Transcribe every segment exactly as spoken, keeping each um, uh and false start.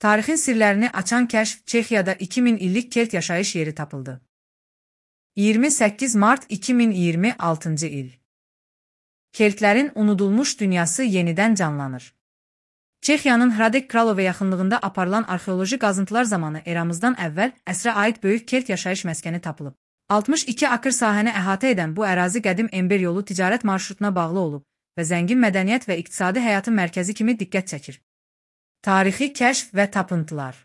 Tarixin sirlərini açan kəşf Çexiyada iki min illik kelt yaşayış yeri tapıldı. iyirmi səkkiz mart iki min iyirmi altıncı il. Keltlərin unudulmuş dünyası yenidən canlanır. Çexiyanın Hradec Kralove yaxınlığında aparılan arxeoloji qazıntılar zamanı eramızdan əvvəl əsrə aid böyük kelt yaşayış məskəni tapılıb. altmış iki akır sahəni əhatə edən bu ərazi qədim Ember yolu ticarət marşrutuna bağlı olub və zəngin mədəniyyət və iqtisadi həyatın mərkəzi kimi diqqət çəkir. Tarixi kəşf və tapıntılar.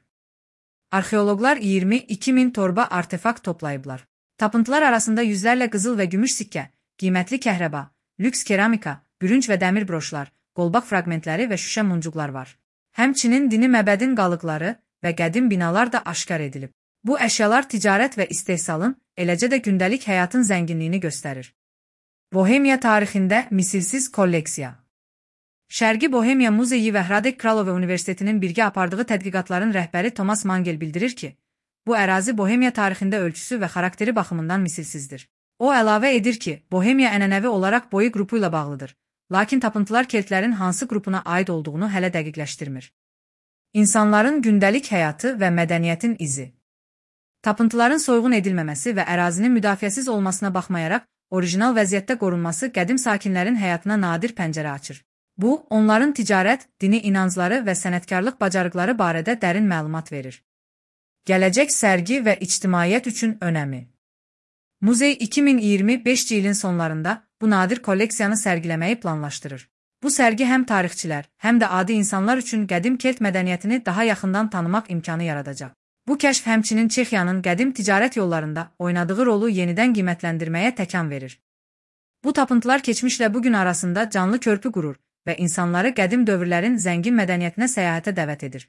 Arxeoloqlar iyirmi iki min torba artefakt toplayıblar. Tapıntılar arasında yüzlərlə qızıl və gümüş sikkə, qiymətli kəhrəba, lüks keramika, bürünc və dəmir broşlar, qolbaq fraqmentləri və şüşə muncuqlar var. Həmçinin dini məbədin qalıqları və qədim binalar da aşkar edilib. Bu əşyalar ticarət və istehsalın, eləcə də gündəlik həyatın zənginliyini göstərir. Bohemiya tarixində misilsiz kolleksiya. Şərqi Bohemiya Muzeyi və Hradec Kralove Universitetinin birgə apardığı tədqiqatların rəhbəri Thomas Mangel bildirir ki, bu ərazi Bohemiya tarixində ölçüsü və xarakteri baxımından misilsizdir. O əlavə edir ki, Bohemiya ənənəvi olaraq boyu qrupu ilə bağlıdır, lakin tapıntılar keltlərin hansı qrupuna aid olduğunu hələ dəqiqləşdirmir. İnsanların gündəlik həyatı və mədəniyyətin izi. Tapıntıların soyğun edilməməsi və ərazinin müdafiəsiz olmasına baxmayaraq, orijinal vəziyyətdə qorunması qədim sakinlərin həyatına nadir pəncərə açır. Bu, onların ticarət, dini inancları və sənətkarlıq bacarıqları barədə dərin məlumat verir. Gələcək sərgi və ictimaiyyət üçün önəmi. Muzey iki min iyirmi beşinci ilin sonlarında bu nadir kolleksiyanı sərgiləməyi planlaşdırır. Bu sərgi həm tarixçilər, həm də adi insanlar üçün qədim kelt mədəniyyətini daha yaxından tanımaq imkanı yaradacaq. Bu kəşf həmçinin Çexiyanın qədim ticarət yollarında oynadığı rolu yenidən qiymətləndirməyə təkan verir. Bu tapıntılar keçmişlə bugün arasında canlı körpü qurur və insanları qədim dövrlərin zəngin mədəniyyətinə səyahətə dəvət edir.